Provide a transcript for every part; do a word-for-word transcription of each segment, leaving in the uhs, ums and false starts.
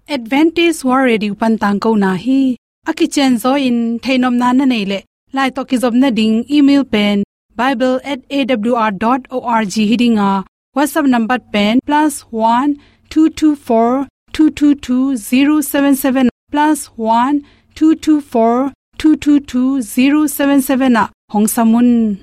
Adventist World Radio pan tangkona hi. A kicianzaw in theihnopna na neih leh, lai tawh kizopna ding email pen bible at A W R dot org hi ding a, WhatsApp number pen plus one two two four two two two zero seven seven, plus one two two four two two two zero seven seven ah hong sam un.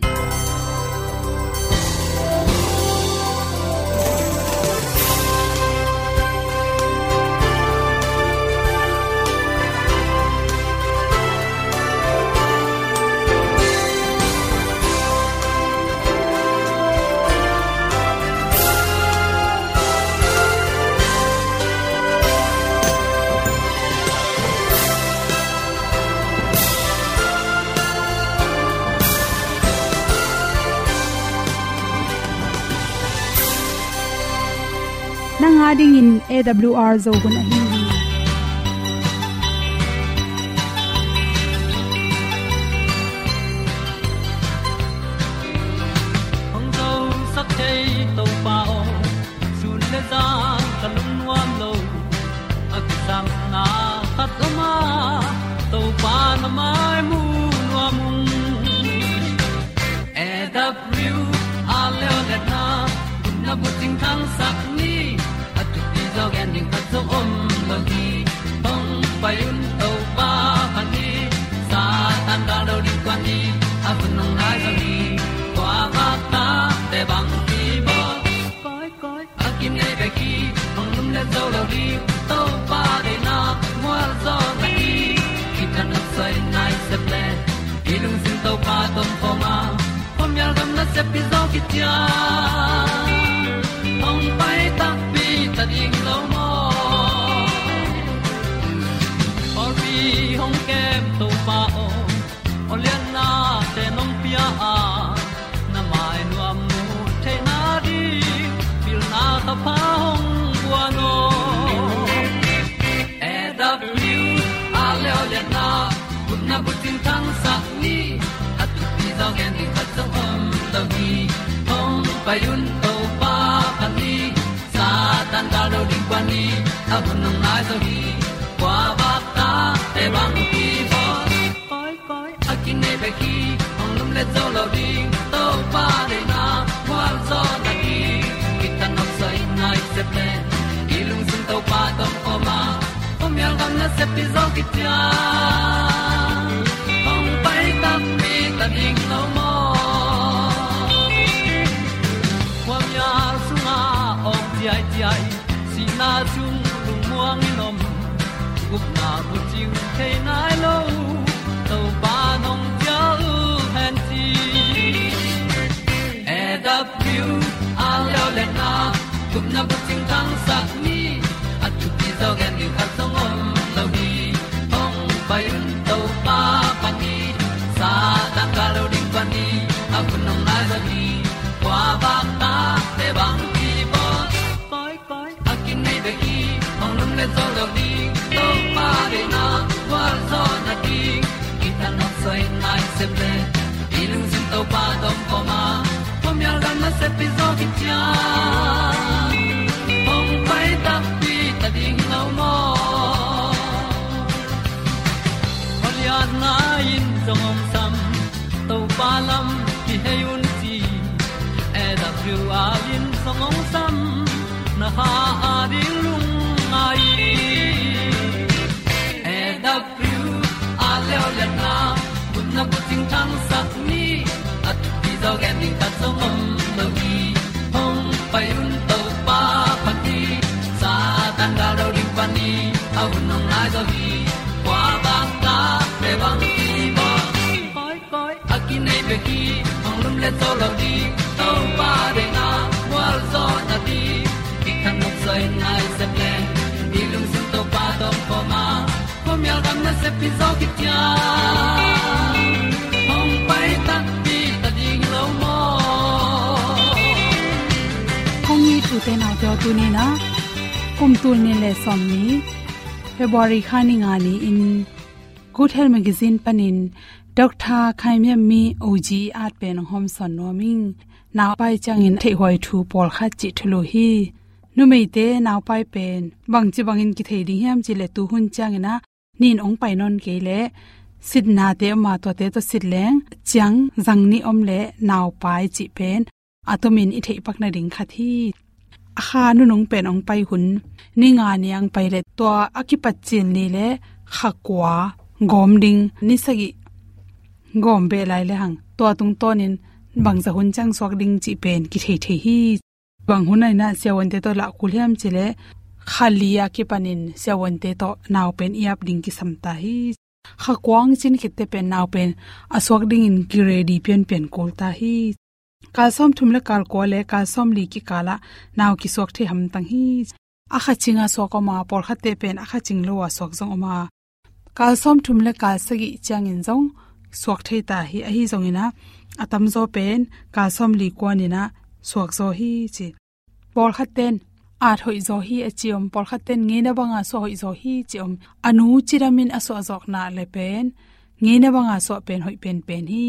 Nang a dingin A W R Zo hun ahi hi. Hong zosak thei Topa aw, sun le zan ka lungnuam lo. A kisapna khat om a, Topa na mai mu nuam ung. A W R Leolehna, upna bucing thangsak ni, a thupi zaw gen ding khat zong om lo hi. Hong pai un Topa phat ni, Satan gal lo ding kuan ni, a hun hong nai zaw hi. Kua vakta te bang kibawl, koi koi a kinei bek hi. Hong lumlet zo lo ding, Topa deihna mual zaw na hi. Kithanuam soi nai sep le, i lungsim Topa tawh om khawm a, khuamial gam nasep pi zaw khit ciang, hong pai takpi ta ding lo maw? Pawlpi hong kem Topa aw, aw lianna te nong pia a, na mai nuam mu theihna ding pilna thapha hong guan aw. A W R Leolehna, upna bucing thangsak ni, a thupi zaw gen ding khat zong om lo hi. Hong pai un Topa phat ni, Satan gal lo ding kuan ni, a hun hong nai zaw hi. Kua vakta te bang kibawl, koi koi a kinei bek hi. Hong lumlet zo lo ding, Topa deihna mual zaw na hi. Kithanuam soi nai sep le, i lungsim Topa tawh om khawm a, khuamial gam nasep pi zaw khit ciang, hong pai takpi ta ding lo maw? Khuamial sungah awng ciaiciai, sihna sung lungmuang in om, gupna bucing thei nai lo, Topa nong cial hen ci. A W R Leolehna, upna bucing thangsak ni, a thupi zaw gen ding khat zong om lo hi. Hong pai un Topa phat ni, Satan gal lo ding kuan ni, a hun hong nai zaw hi. Kua vakta te bang kibawl, koi koi a kinei bek hi. Hong lumlet zo lo ding, Topa deihna mual zaw na hi. Kithanuam soi nai sep le, i lungsim Topa tawh om khawm a, khuamial gam nasep pi zaw khit ciang, hong pai takpi ta ding lo maw? Khualiatna in zong hong sam, Topa lam kihei un ci. A W R in zong hong sam, na kha a ding lungngai. A W R Leolehna, upna bucing thangsak ni, a thupi zaw gen ding khat zong om lo hi. Hong pai un Topa phat ni, Satan gal lo ding kuan ni, a hun hong nai zaw hi. Kua vakta te bang kibawl, koi koi a kinei bek hi. Hong lumlet zo lo ding, Topa deihna mual zaw na hi. Kithanuam soi nai sep le, i lungsim Topa tawh om khawm a, khuamial gam nasep pi zaw khit ciang, hong pai takpi ta ding lo maw? Kong it u te nau te aw, tuni-in ah kum tul nih le sawmnih, February kha ni nga ni-in Good Health Magazine panin Doctor Khai Miam Mi O G at pen hong hawmsawn nuam ing. Nau pai ciangin theihhuai thu pawlkhat cih thulu hi. Numeite naupai pen bangci bangin kithei ding hiam cih leh tu hun ciangin ah nin hong pai nawn kei leh sitnate om a, tuate tawh sit leng ciang zang nih om leh naupai cih pen a tomin i theih pak nading khat hi. A kha nunung pen hong pai hun ni nga ni ang pai leh tua a kipat cil ni leh kha kua gawm ding, ni sagih gawm beh lai lehang tua tungtawnin bangzah hun ciang suak ding cih pen kithei thei hi. Bang hun ah in ah siavuante tawh lah kul hiam cih leh kha li a kipanin siavuante tawh nau pen i ap ding kisam ta hi. Kha kua hong cin khitte pen nau pen a suak dingin ki ready pianpian kul ta hi. Kal sawmthum leh kal kua leh kal sawmli kikal ah nau kisuak thei hamtang hi. A kha cing a suak om a, pawlkhatte pen a kha cing lo a suak zong om a. Kal sawmthum leh kal sagih ciangin zong suak thei ta hi. Ahi zongin ah a tamzaw pen kal sawmli kuanin ah suak zaw hi ci. Pawlkhatten at hoih zaw hi a ci om, pawlkhatten ngeina banga suah hoih zaw hi ci om. A nu cidamin a suah zawkna leh pen ngeina banga suah pen hoih penpen hi.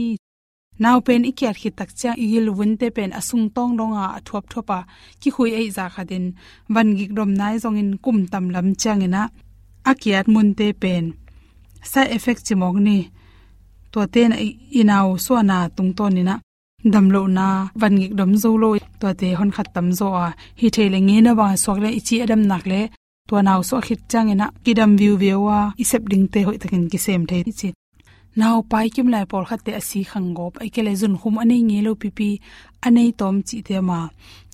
Nau pen i kiat khit tak ciang i gilvunte pen a sungtawng donga a thuapthuap a kikhui ahih zah khatin van gik dom nai zongin kum tam lam ciangin ah a kiat munte pen side effect ci mawk ni, tuate in ah i, i nau suahna tungtawnin ah damlohna, van gik dom zo lo, tuate honkhat tam zaw a, hi thei leh ngeina banga suak leh i ci a dam nak leh tua nau suah khit ciangin ah kidam viuviau a i sep dingte hoihtakin kisem thei hi ci. Naupai kimlai pawlkhatte a si khang gawp, ahih kei leh zunkhum a nei ngei lo pipi, a nei tawm cihte om a,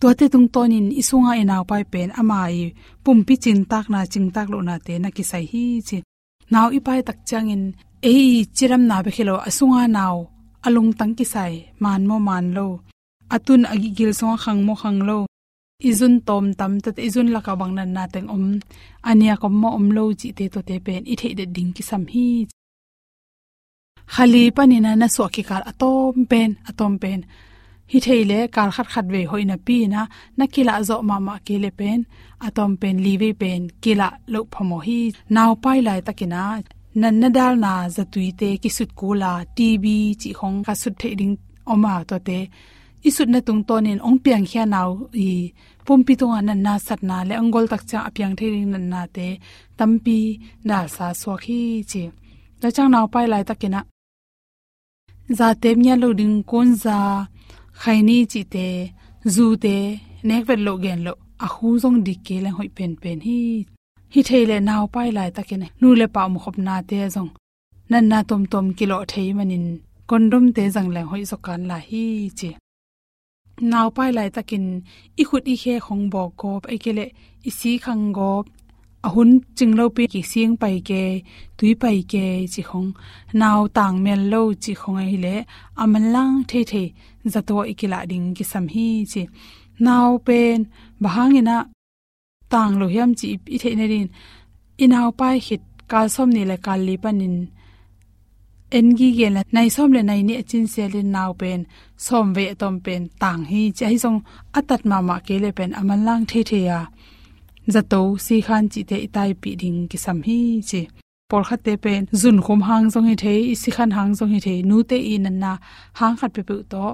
tuate tungtawnin i sunga i naupai pen ama i pumpi cintakna, cintak lohnate na kisai hi ci. Nau i pai tak ciangin ei i cidamna bek hi lo, a sunga nau a lungtang kisai, man maw man lo, a tun a gilsung a khang maw khang lo, i zun tawm tam, tuate i zun laka bang natna teng om, a niak om maw om lo cihte, tuate pen i theih det ding kisam hi. Kha li panin ah na suah kikal a tawm pen, a tawm pen hi thei leh kal khat khat vei hoih napi-in ah na kilah zawh mahmah kei leh pen a tawm pen li vei pen kilah loh phamawh hi. Naupai laitakin ah natna dalna zatuite kisut kul a, T B cih khong ka sut theih ding om a, tuate i sutna tungtawnin hong piangkhia nau i pumpi tungah natna satna leh hong gol tak ciang a piang thei ding natnate tampi dalsa suak hi ci. Tua ciang naupai laitakin ah zate ngiat lo ding kunza, khaini cihte, zute nek vet loh gen loh, a hu zong dik kei leng hoih penpen hi. Hi thei leh naupai laitakin nu leh pa omkhopnate zong natna tuamtuam kilawh thei manin condomte zang leng hoih zaw kan lai hi ci. Naupai laitakin i khut i khe khong bawk gawp, ahih kei leh i si khang gawp, a hun cing lopi kising pai kei, tui pai kei cih khong, nau tang mial lo cih khong ahih leh a manlang theithei zato i kilah ding kisam hi ci. Nau pen bang hangin ah tang lo hiam cih i theih nadingin i naupai khit kal sawmnih leh kal li panin en gige leh nai sawm leh nai nih a cin sialin nau pen sawm vei a tawm pen tang hi ci. Ahi zong a tat mahmah kei leh pen a manlang theithei a zato, sikhan cihte i taipih ding kisam hi ci. Pawlkhatte pen zunkhum hang zong hi thei, i sikhan hang zong hi thei, nute i natna hang khat peuhpeuh tawh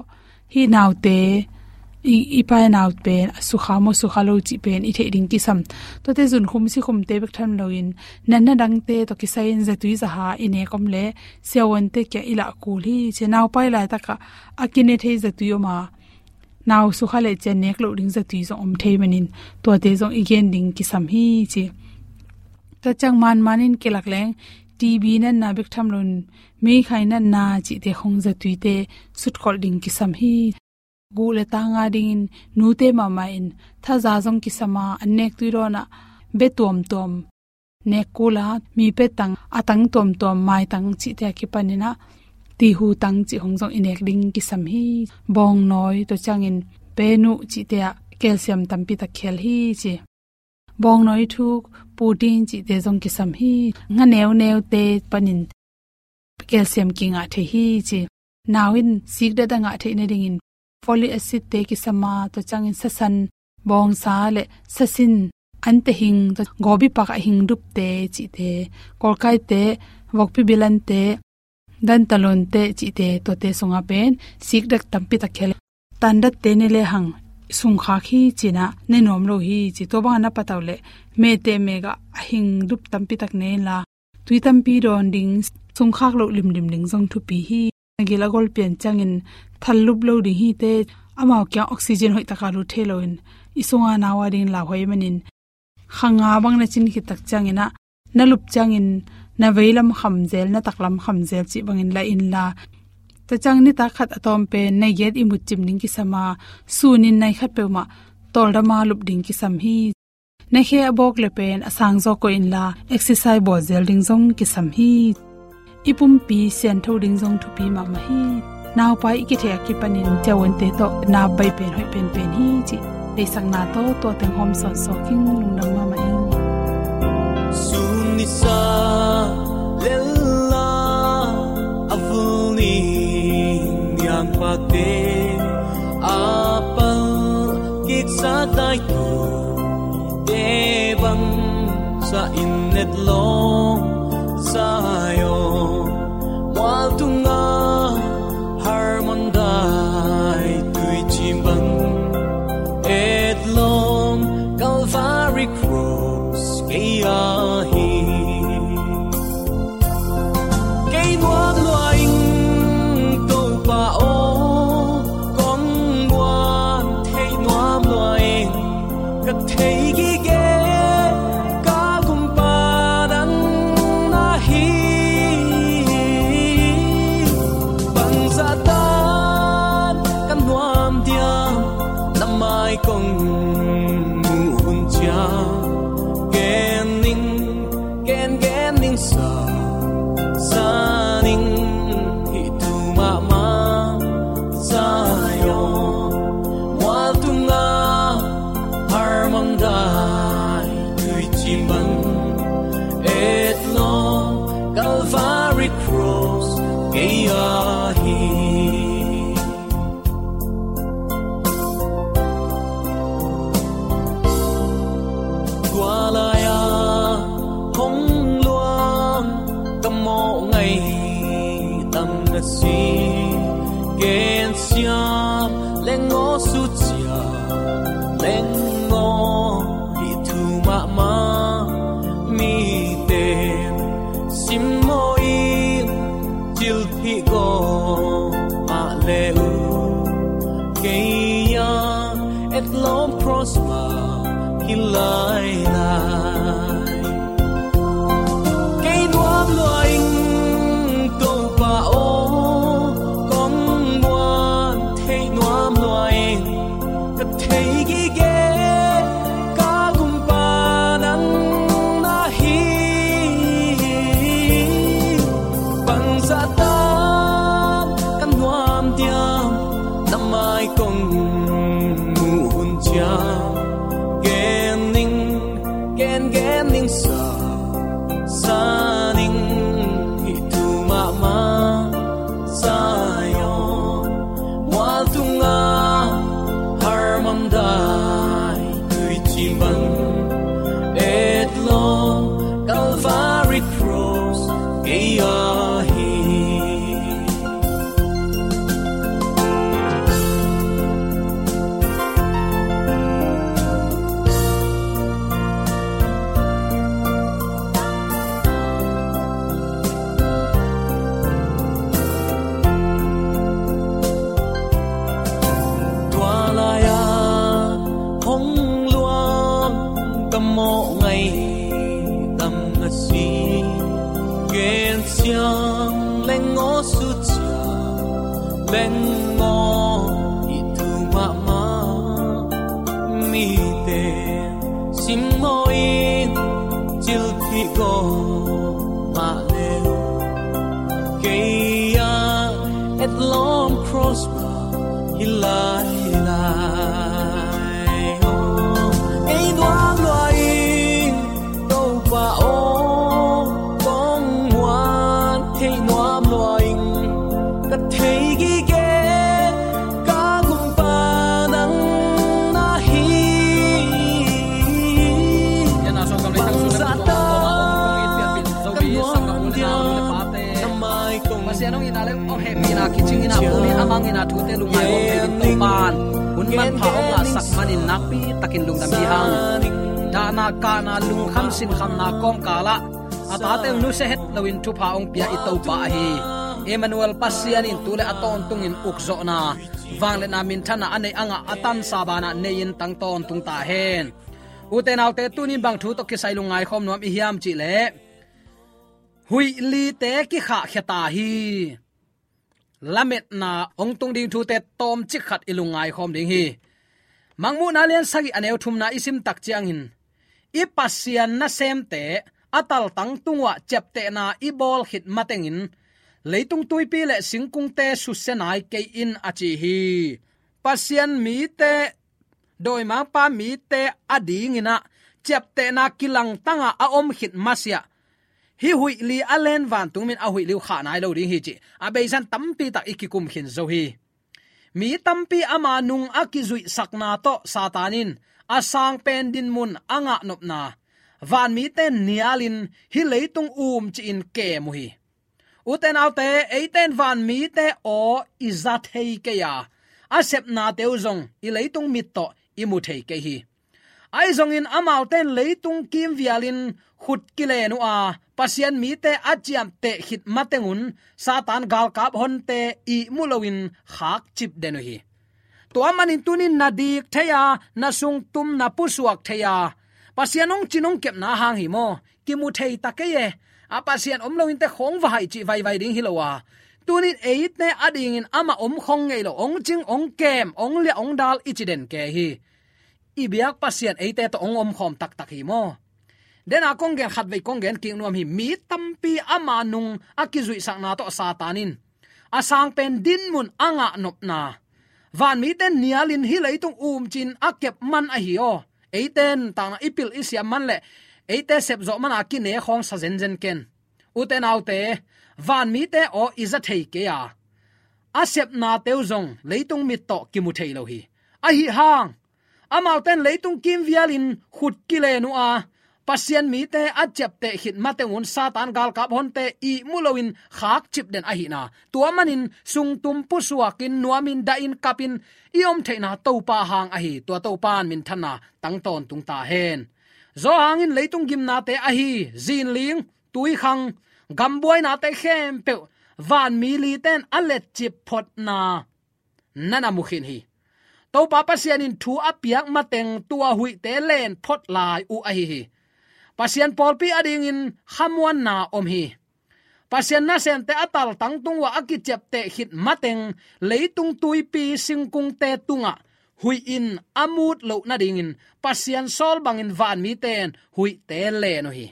hih naute, i, i pai nau pen a sukha maw sukha lo cih pen i theih ding kisam. Tuate zunkhum sikhumte bek tham loin natna dangte tawh kisai-in zatui zaha i nek om leh siavuante kiang i lah kul hi ci. Naupai laitakah a kine thei zatui om a, nau sukha leh ciang nek loh ding zatui zong om thei manin tuate zong i gen ding kisam hi ci. Tua ciang manmanin kilak leng T B natna bek tham loin meikhai natna cihte khong zatuite sutkholh ding kisam hi. Guh leh tang a dingin nute mahmah in thaza zong kisam a, an nek tui dawnah bia tuamtuam nek kul a, mi pia tang, a tang tuamtuam, maitang cihte a kipanin ah tihu tang cih khong zong i nek ding kisam hi. Bawngnawi, tua ciangin penuh cihte ah calcium tampi tak khel hi ci. Bawngnawi thuk, putin cihte zong kisam hi. Nga neuneute panin calcium kingah thei hi ci. Nau in sikdet a ngah theih nadingin folic acid-te kisam a, tua ciangin sasan, bawngsa leh sasin, antehing, tua gawbipak a hingdupte cihte, kawlkaite, vokpi bilante, dantalonte cihte, tuate sungah pen sikdet tampi tak khel. Tandatte ne lehang sungkhak hi ci-in ah ne nuam lo hi ci. Tua bangah na patauh leh mehteh mekah a hing dup tampi tak ne inla, tui tampi dawn ding, sungkhak loh limlim ding zong thupi hi. Na gil a gol pian ciangin thal lup lo ding hi teh, amau kiang oxygen hoih takah lut thei loin i sungah nau a dingin lauhuai manin, kha nga bang na cin khit tak ciangin ah, na lup ciangin na veilam kham zel, na taklam kham zel cih bangin la inla, tua ciang nitak khat a tawm pen nai giat ihmut cim ding kisam a, sunin nai khat peuhmah tawldam a lup ding kisam hi. Na khe a bawk leh pen a sang zaw koih inla, exercise bawl zel ding zong kisam hi. I pumpi siangtho ding zong thupi mahmah hi. Naupai i kithei a kipanin ciauante tawh na baih pen hoih penpen hi cih theihsakna tawh tua teng hawm sawnsawn ing. Lungdam mahmah ing. Sun nisa lella a vul ni niangpakte a pal kiksa dai tu te bang sa in netlawng Zion mual tunga Hermon dai tuicim bang etlawng Calvary Cross kei ahi. Kei nuam lua ing Topa aw, kong muan theih nuam lua ing. Ka thei gige ka gumpa nang na hi. Bangzah tan ka nuam diam, na mai kong muh hun ciang gen ning, gen gen ning sa, sa ning hih thu mahmah. Zion mual tunga Hermon dai tuicim bang etlawng Calvary Cross kei ahi. Tua lai-a hong luang ka mawh ngaih tam na si, gensiam leng aw sucia leng aw hih thu mahmah. Mite simmaw in cilphih gawp mah le uh, kei a etlawm cross mah hi lailai. Kei nuam lua ing Topa aw, kong muan theih nuam lua ing. Ka thei gige ka gumpa nang na hi. Bangzah tan ka nuam diam, na mai kong muh hun ciang gen ning, gen gen ning sa, sa ning hih thu mahmah. Zion mual tunga Hermon dai tuicim bang etlawng Calvary Cross kei ahi. Tua lai-a hong luang ka mawh ngaih tam na si, gensiam leng aw sucia leng aw hih thu mahmah. Mite simmaw in cilphih gawp mah le uh, kei a etlawm cross mah hi lailai. Kei nuam lua ing Topa aw, kong muan theih nuam lua ing. Ka thei gige ka gumpa nang na hi. Bangzah tan ka nuam diam, na mai kong Pasian hong itna le hong hehpihna kicingin a, tuni a mangin a, thute lungngai hong thei ding Topa'n Hun manpha hong ngahsak manin nakpi takin lungdam hi hang. Dahna kahna lungkham sinkhamna kawmkal ah a tate hong nusia het loin thupha hong pia i Topa ahi Emmanuel Pasian in tu le a tawntungin ukzawhna, vangliatna, minthanna a neih a ngah a tansa banah nei-in tang tawntung ta hen. Ute naute, tunin bang thu tawh kisai lungngaikhawm nuam i hiam cih leh, huih lite kikhahkhia ta hi. Lametna hong tung ding thute tawmcik khat i lungngaikhawm ding hi. Mangmuhna lian sagih a neu thumna i sim tak ciangin, i Pasian nasemte a taltang tung uah ciaptehna i bawl khit matengin, leitung tuipi le singkungte susia nai kei in, a ci hi. Pasian mite, dawimangpa mite adingin ah ciaptehna kilangtang a a om khit masiah, hih huih li a len vantung min a huih li uh khah nai lo ding hi cih a beisa-in tampi tak i kikum khin zo hi. Mi tampi ama nung a kizuihsakna tawh Satan in a sangpen dinmun a ngahnopna, vanmite nialin hih leitung umci-in kem uh hi. Ute naute, eite in vanmite aw i za thei kei a, a sepnate uh zong i leitung mit tawh i mu thei kei hi. Ahi zongin amaute in leitung kimvialin khut kilen uh a, Pasian mite a ciapteh khit matengun Satan galkap honte ihmu loin khakcip den uh hi. Tua manin tunin na dik thei a, na sungtum na pusuak thei a, Pasian hong cin hong kepna hang hi maw, kimu thei ta kei e. A Pasian om lo inteh khawng va haih cih vaivai ding hi lo a, tunin eite adingin amah om khawng ngei lo, hong cing, hong kem, hong liah, hong dal i ci den kei hi. I biak Pasian eite tawh hong omkhawm taktak hi maw. Dena kong gen khatvei kong gen kik nuam hi. Mi tampi ama nung a kizuihsakna tawh Satan in a sangpen dinmun a ngahnopna, vanmite nialin hih leitung umci-in a kep man ahi aw. Eite in takna i pil i siam man le eite sepzawh man a kine khawng sa zenzen ken. Ute naute, vanmite aw i za thei kei a, a sepnate uh zong leitung mit tawh kimu thei lo hi. Ahi hang, amaute in leitung kimvialin khut kilen uh a, Pasian mite a ciapteh khit matengun Satan galkap honte ihmu loin khakcip den ahihna, tua manin sungtum pusuakin, nuamin, dahin, kapin i om theihna Topa hang ahi. Tua Topa in minthanna tang tawntung ta hen. Zawhang in leitung gimnate ahi zinling, tuikhang, gambuainate khempeuh vanmi lite in a letcip photna na na mu khin hi. Topa Pasian in thu a piak mateng tua huihte len phot lai uh ahi hi. Pasian pawlpi adingin khamuanna om hi. Pasian nasemte a taltang tung uah a kiciapteh khit mateng leitung tuipi singkungte tungah huih in a mut loh nadingin Pasian sawl bangin vanmite in huihte len uh hi.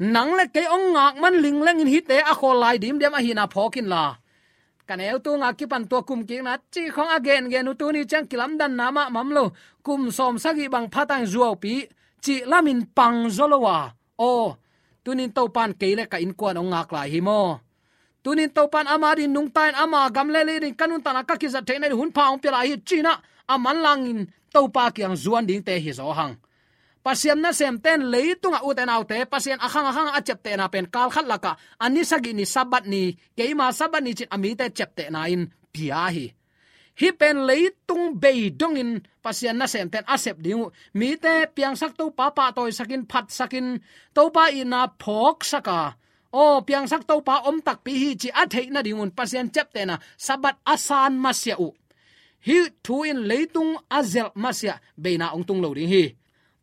Nang le kei hong ngak man linglengin hihte a khawl lai dimdiam ahihna phawk inla, ka neu tunga kipan tua kumkikna cih khawng a gengen uh tuni ciang kilamdanna mahmah om lo. Kum sawmsagih bang phatang zuaupi cih lamin pang zaw lo a, aw, tunin Topa in kei le ka innkuan hong ngak lai hi maw? Tunin Topa in ama ding nungta in ama gam le lei ding ka nuntakna ka kizat theihna ding hunpha hong pia lai hi ci-in ah a manlangin Topa kiang zuan dingte hi zaw hang. Pasian nasemte in leitungah, ute naute, Pasian a khang a khang a ciaptehna pen kal khat lakah a ni sagih ni Sabbath ni, keima Sabbath ni ci-in a mite ciaptehna in pia hi. Hih pen leitung bei dongin Pasian nasemte in a sep ding uh. Mite piangsak Topa pahtawisakin, phatsakin, Topa itna phawksak a, aw, piangsak Topa om takpi hi cih a theih nadingun Pasian ciaptehna Sabbath a san masiah uh. Hih thu in leitung a zelh masiah beina hong tung lo ding hi.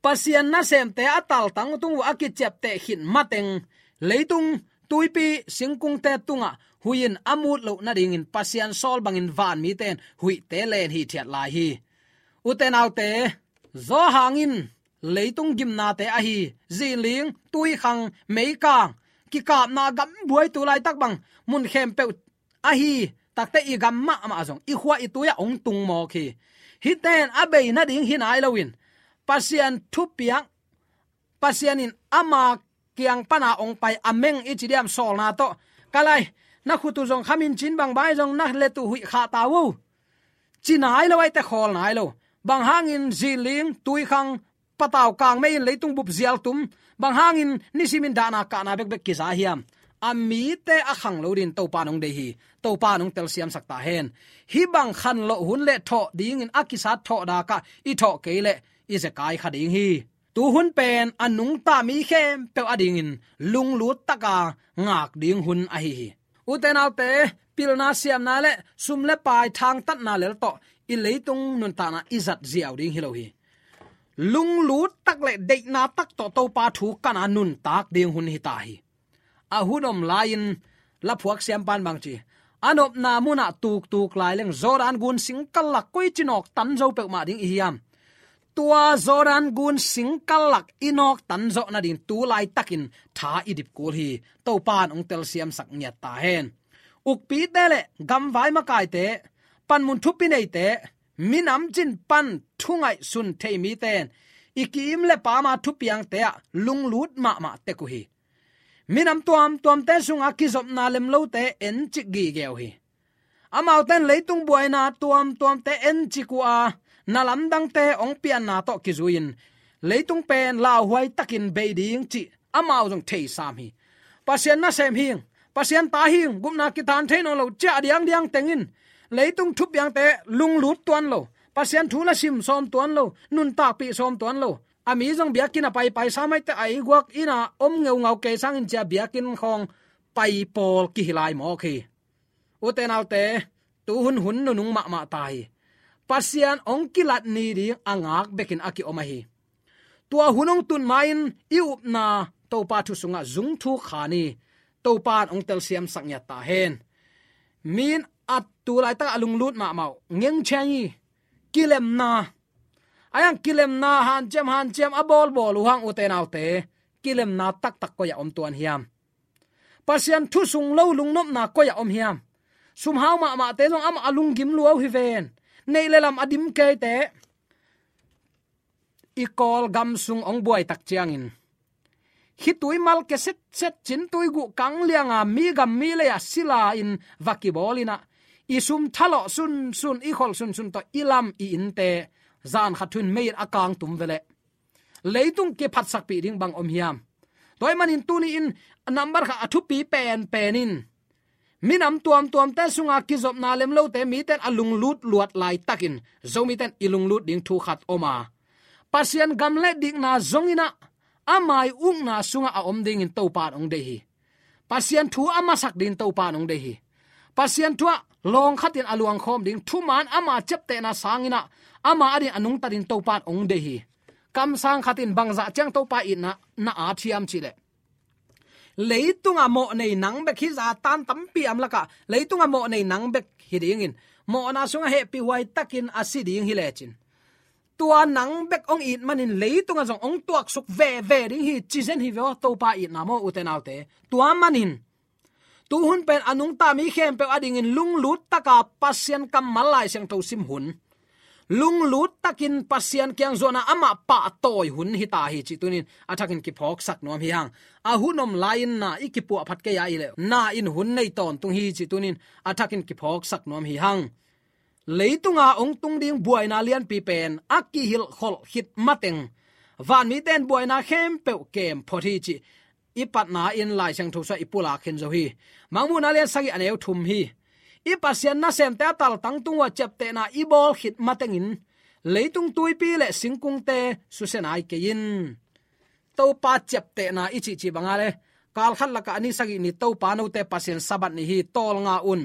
Pasian nasemte a taltang tung uh a kiciapteh khit mateng leitung tuipi singkungte tungah huih in a mut loh nadingin Pasian sawl bangin vanmite in huihte len hithiat lai hi. Ute naute, zawhang in leitung gimnate ahi zinling, tuikhang, meikang, kikapna gambuai tu laitak bang mun khempeuh ahi takte i gam mahmah zong i khua i tui-ah hong tung mawk hi. Hihte in a bei nading hi nai loin Pasian thupiak, Pasian in ama kiang pana hong pai a meng i ci diam sawlna tawh, ka lai, na khut uh zong khamin cin bang bai zong na let uh huih khah ta uh, ci nai lo, aite khawl nai lo. Bang hangin zinling, tuikhang, patau kangmei in leitung bup zial tum, bang hangin nisimin dahna kahna bekbek kiza hiam? a mite a khang lo dingin Topa in hong deih hi. Topa in hong telsiamsak ta hen. Hih bang khanlawh hun le thawh dingin a kisat thawh dakah i thawh kei leh i zekai kha ding hi. Tu hun pen a nungta mi khempeuh adingin lunglut taka ngak ding hun ahi hi. Ute naute, pilna siamna le sum le pai thangtatna lel tawh i leitung nuntakna i zat ziau ding hi lo hi. Lunglut tak le deihna tak tawh Topa thu kana nuntak ding hun hi ta hi. A hun om lai-in laphuak siampan bang ci, a nopna munah tuktuk lai leng Jordan gun singkal lak koici nawk tan zo peuhmah ding i hiam? Tua Jordan gun singkal lak i nawk tan zawh nading tu laitakin tha i dip kul hi. Topa in hong telsiamsak ngiat ta hen. Ukpite le gamvai makaite, panmun thupi neite, minam cin pan thu ngaihsun thei mite in i ki-im le pama thupiangte ah lunglut mahmah tek uh hi. Minam tuamtuamte sunga kizopna lemlote encik gige uh hi. Amaute in leitung buaina tuamtuamte encik uh a, na lamdangte hong pianna tawh kizui-in leitung pen lauhuai takin bei ding cih amau zong theisam hi. Pasian nasem hing, Pasian ta hing, gupna kitan thei nawn lo ciah diangdiang tengin leitung thupiangte lunglut tuan lo, Pasian thu la sim sawm tuan lo, nuntakpih sawm tuan lo. A mi zong biakinn a paipai sa maite a ei guak inn a om ngeungau kei sangin cia biakinn khawng pai pawl kihi lai mawk hi. Ute naute, tu hun hun nunung mahmah ta hi. Pasian hong kilat ni ding a ngak bekin a kiom ahi. Tua hun hong tun ma-in i upna Topa thu sungah zung thuk kha ni. Topa in hong telsiamsak ngiat ta hen. Mi in a tu laitak a lunglut mahmah uh ngengcheng hi. Kilemna, a yang kilemna hanciam hanciam a bawlbawl uh hang ute naute, kilemna taktak koi-ah om tuan hiam? Pasian thu sung lo lungnopna koi-ah om hiam? Sumhau mahmahte zong amah a lunggim lua uh hi ven. Neih le lam a dim keite, i Kawlgam sung hong buai tak ciangin khitui mal ke setset, cintui guh kang lianga mi gam mi lei-ah sila-in va kibawl in ah, i sum thalawh sunsun, i kholh sunsun tawh i lam i innte zan khat thu-in mei in a kang tum veleh leitung kiphatsakpih ding bang om hiam? Tua ahih manin tuni-in a nambat khat a thupi penpen in minam tuamtuamte sunga kizopna lemlote mite in a lunglut luat laitakin Zomite in i lunglut ding thu khat om a, Pasian gam le dikna zong in ah ama i ukna sungah a om dingin Topa in hong deih hi. Pasian thu a masak dingin Topa in hong deih hi. Pasian thu ah lawng khatin a luangkhawm ding, thuman ama ciaptehna sangin ah ama adingin a nungta dingin Topa in hong deih hi. Kamsang khatin bangzah ciang Topa itna na at hiam cihleh, leitungah mawhnei nang bek hi, zatan tampi om lakah leitungah mawhnei nang bek hi dingin, mawhna sungah hehpihhuai takin a si ding hi lecin, tua nang bek hong it manin leitungah zong hong tuaksuk veve ding hi, ci zen hi ve aw, Topa itna maw ute naute. Tua manin tu hun pen a nungta mi khempeuh adingin lunglut taka Pasian kammal Lai Siangtho sim hun, lunglut takin Pasian kiang zuan a amah pahtawi hun hi ta hi cih tuni-in a thakin kiphawksak nuam hi hang. A hun om lai-in na i kipuah phat kei a i leh, na in hun nei tawntung hi cih tuni-in a thakin kiphawksak nuam hi hang. Leitunga hong tung ding buaina lianpi pen a kihilhkholh khit mateng vanmite in buaina khempeuh kem phot hi cih i patna in Lai Siangtho sungah i pulak khin zo hi. Mangmuhna lian sagih a neu thum hi. I Pasian nasemte a taltang tung uh a ciaptehna i bawl khit matengin leitung tuipi le singkungte susia nai kei in. Topa ciaptehna i cihcih banga le, kalkhat lakah a ni sagih ni Topa note Pasian Sabbath ni hi, tawlnga un.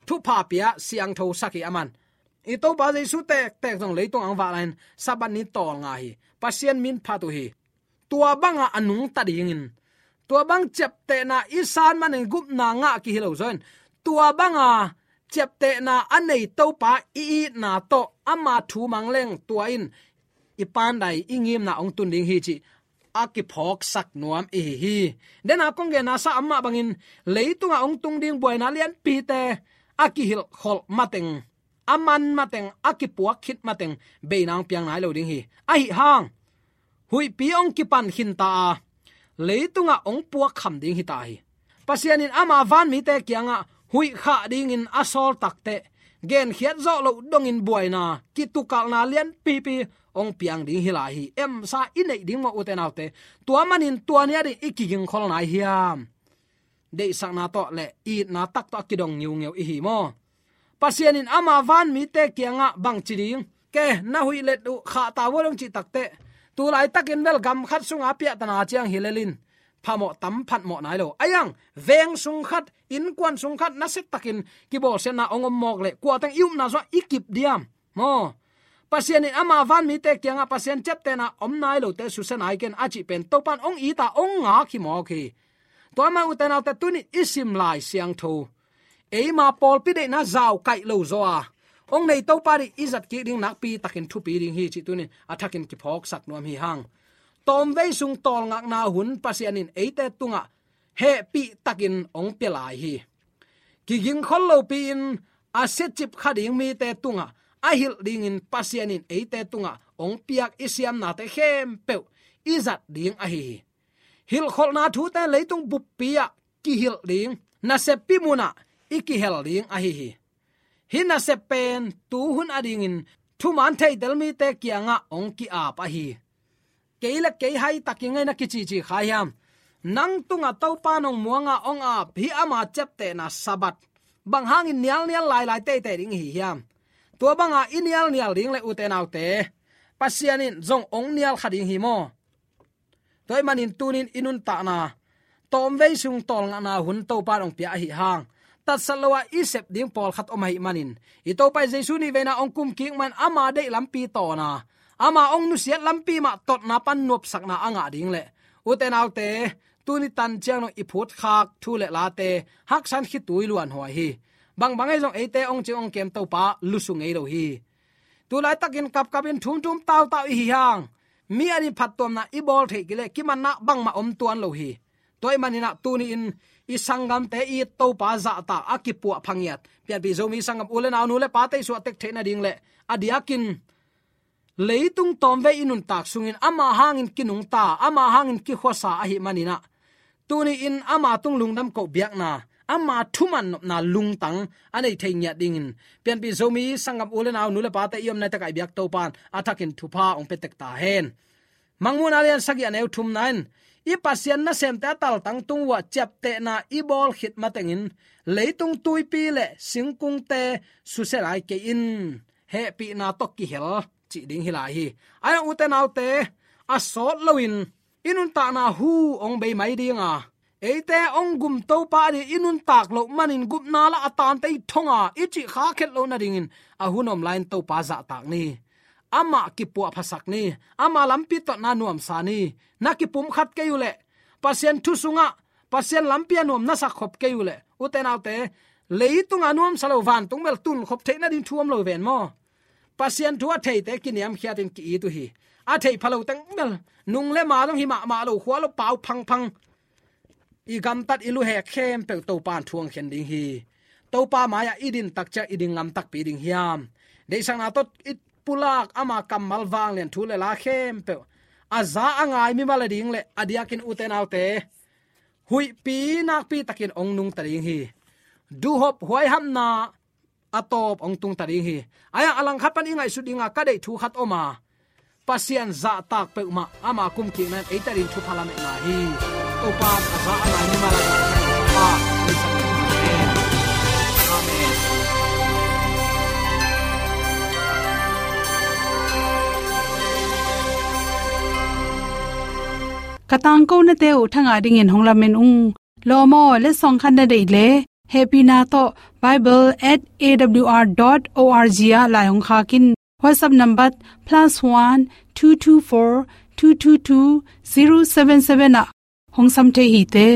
Thupha pia siangthosak hi a man. I Topa Jesu tektek zong leitung ang vak lai-in Sabbath ni tawlnga hi. Pasian min phat uh hi. Tua banga a nungta dingin, tua bang ciaptehna i san manin gupna ngah kihi lo zaw in, tua banga ciaptehna a nei Topa i itna tawh ama thu mang leng tua in i pandai i ngimna hong tun ding hi cih a kiphawksak nuam i hi hi. Dena kong genna sa amah bangin leitunga hong tung ding buaina lianpite a kihilhkholh mateng, a man mateng, a kipuak khit mateng beina hong piang nai lo ding hi. Ahi hang huihpi hong kipan khinta a, leitungah hong puak kham ding hi ta hi. Pasian in ama vanmite kiangah huih khah dingin a sawl takteh, genkhiat zawh loh dongin buaina, kitukalhna lianpipi hong piang ding hi lai hi. Emsa i neih ding maw ute naute? Tua manin tua ni a ding i kigingkhol nai hiam? deihsakna tawh le itna tak tawh a kidong ngiungeu i hi maw? Pasian in ama vanmite kiangah bang ci ding? Ke, na huih let uh khahta vua dong cih takteh, tu laitakin bel gam khat sunga piahtana ciang hi lelin phamawh tam phatmawh nai lo. Aiang, veng sung khat, innkuan sung khat, nasia takin kibawlsiatna hong om mawk le, kuateng i upna sungah i kip diam maw? Pasian in ama vanmite kiangah Pasian ciaptehna om nai lote susia nai ken a cih pen Topan hong it a hong ngak hi mawk hi. Tua mah ute naute, tuni i sim Lai Siangtho eima pawlpi deihna zau kaih lo zaw a hong nei Topa ding i zat kik ding nakpi takin thupi ding hi cih tuni a thakin kiphawksak nuam hi hang. Tawmvei sung tawlngakna hun Pasian in eite tungah hehpih takin hong pia lai hi. Kigingkhol lopi-in a siacip kha ding mite tungah a hilh dingin Pasian in eite tungah hong piak i siamnate khempeuh i zat ding ahi hi. Hilhkholhna thute leitung buppi ah kihilh ding, naseppi munah i kihel ding ahi hi. Hih nasep pen tuhun adingin thuman theitel mite kiangah hong ki-ap ahi hi. Kei le kei hai takin ngai na kicici kha hiam? Nang tungah Topa nong muanga hong ap hih ama ciaptehna Sabbath bang hangin nialnial lailai teitei ding hi hiam? Tua banga i nialnial ding le ute naute, Pasian in zong hong nial kha ding hi maw? Tua ahih manin tunin i nuntakna tawmvei sung tawlngakna hun Topa in hong pia ahi hang, tatsat lo-a i sep ding pawlkhat om ahih manin, i Topa Jesu nihveina hong kum kik man ama deih lampi tawna, ama hong nusiat lampi mah totna pan nuamsakna a ngah ding le, ute naute, tuni tan ciang dong i phutkhak thu le late haksan khitui luanhuai hi. Bangbang ahi zong eite hong cing hong kem Topa lusu ngei lo hi. Tu laitakin kapkapin thumthum tautau i hi hang, mi adingin phattuamna i bawl theih kei leh kimanna bangmah om tuan lo hi. Tua ahih manin ah tuni-in i sanggamte i Topa zahtak a kipuah phangiat Pianpih Zomi sanggam u le nau, nu le pate i suahtek theih nading le a diakin leitung tawmvei i nuntak sungin ama hangin kinungta, ama hangin kikhuasa ahih manin ah, tuni-in ama tung lungdam koh biakna, ama thuman nopna lungtang a nei thei ngiat dingin Pianpih Zomi sanggam u le nau, nu le pate i om nai takah i biak Topa in a thakin thupha hong pia tek ta hen. Mangmuhna lian sagih a neu thumna in, i Pasian nasemte a taltang tung uh ah ciaptehna i bawl khit matengin leitung tuipi le singkungte susia lai kei in, hehpihna tawh kihel cih ding hi lai hi. Ahi hang ute naute, a sawt loin i nuntakna hu hong bei mai ding a, eite hong gum Topa ading i nuntak loh manin gupna lah a tante i thong a i cih kha khet loh nadingin a hun om lai-in Topa zahtak ni. Amah kipuahphasak ni. Ama lampi totna nuamsa ni. Na kipumkhat kei uh leh, Pasian thu sungah Pasian lampi a nuam na sak khop kei uh leh, ute naute, leitunga nuamsa lo vantung bel tunkhop theih nading thu om lo ven maw? Pasian thu a theite kiniamkhiatin ki-it uh hi. A thei pha lo teng bel, nung le ma zong hi mahmah lo, khua lo pau phangphang, i gamtat i luhek khempeuh Topa in thu hong khen ding hi. Topa mai-ah i din tak ciang i ding ngam takpi ding hiam? Deihsakna tawh i pulak ama kammal vanglian thu le la khempeuh a za a ngai mimal ading le a diakin ute naute, huihpi nakpi takin hong nungta ding hi. Duhhop huaihapna a tawp hong tungta ding hi. Ahi hang a langkhat pan i ngaihsut dinga ka deih thu khat om a, Pasian zahtak peuhmah ama kumkikna in eite ading thupha lametna hi. Topa in a za a ngai mimal a, Topa in a za a ngai mimal a. Amen. Ka tangkonate uh thangah dingin hong lamen ung. Lawm aw, letsong khat na deih leh, hehpihna tawh bible at A W R dot O R G ah lai hong khak in. WhatsApp number plus one two two four two two two zero seven seven ah hong sam thei hi te.